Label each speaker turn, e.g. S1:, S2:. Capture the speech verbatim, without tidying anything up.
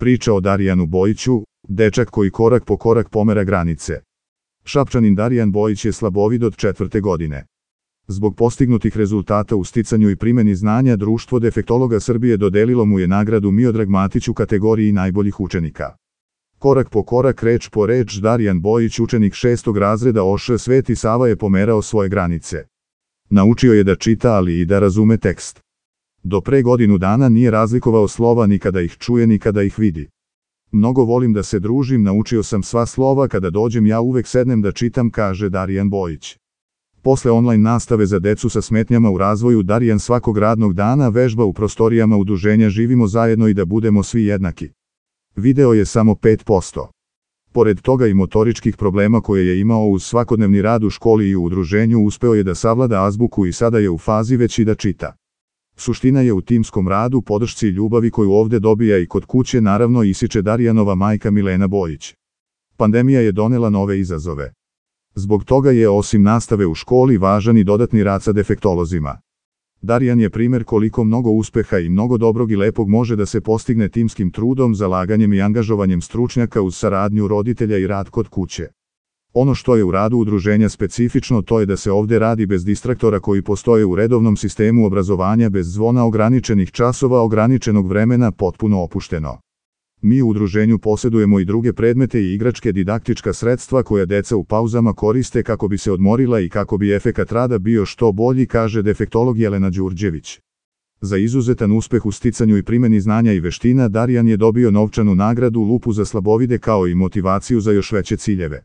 S1: Priča o Darijanu Bojiću, dečak koji korak po korak pomera granice. Šapčanin Darijan Bojić je slabovid od četvrte godine. Zbog postignutih rezultata u sticanju i primeni znanja Društvo defektologa Srbije dodelilo mu je nagradu Miodrag Matić u kategoriji najboljih učenika. Korak po korak, reč po reč, Darijan Bojić, učenik šestog razreda O Š Sveti Sava, je pomerao svoje granice. Naučio je da čita, ali i da razume tekst. Do pre godinu dana nije razlikovao slova ni kada ih čuje ni kada ih vidi. Mnogo volim da se družim, naučio sam sva slova, kada dođem ja uvek sednem da čitam, kaže Darijan Bojić. Posle online nastave za decu sa smetnjama u razvoju, Darijan svakog radnog dana vežba u prostorijama udruženja Živimo zajedno i da budemo svi jednaki. Video je samo pet posto. Pored toga i motoričkih problema koje je imao uz svakodnevni rad u školi i u udruženju, uspeo je da savlada azbuku i sada je u fazi već i da čita. Suština je u timskom radu, podršci i ljubavi koju ovde dobija i kod kuće, naravno, ističe Darijanova majka Milena Bojić. Pandemija je donela nove izazove. Zbog toga je osim nastave u školi važan i dodatni rad sa defektolozima. Darijan je primer koliko mnogo uspeha i mnogo dobrog i lepog može da se postigne timskim trudom, zalaganjem i angažovanjem stručnjaka uz saradnju roditelja i rad kod kuće. Ono što je u radu udruženja specifično, to je da se ovde radi bez distraktora koji postoje u redovnom sistemu obrazovanja, bez zvona ograničenih časova, ograničenog vremena, potpuno opušteno. Mi u udruženju posedujemo i druge predmete i igračke didaktička sredstva koja deca u pauzama koriste kako bi se odmorila i kako bi efekat rada bio što bolji, kaže defektolog Jelena Đurđević. Za izuzetan uspeh u sticanju i primeni znanja i veština, Darijan je dobio novčanu nagradu Lupu za slabovide, kao i motivaciju za još veće ciljeve.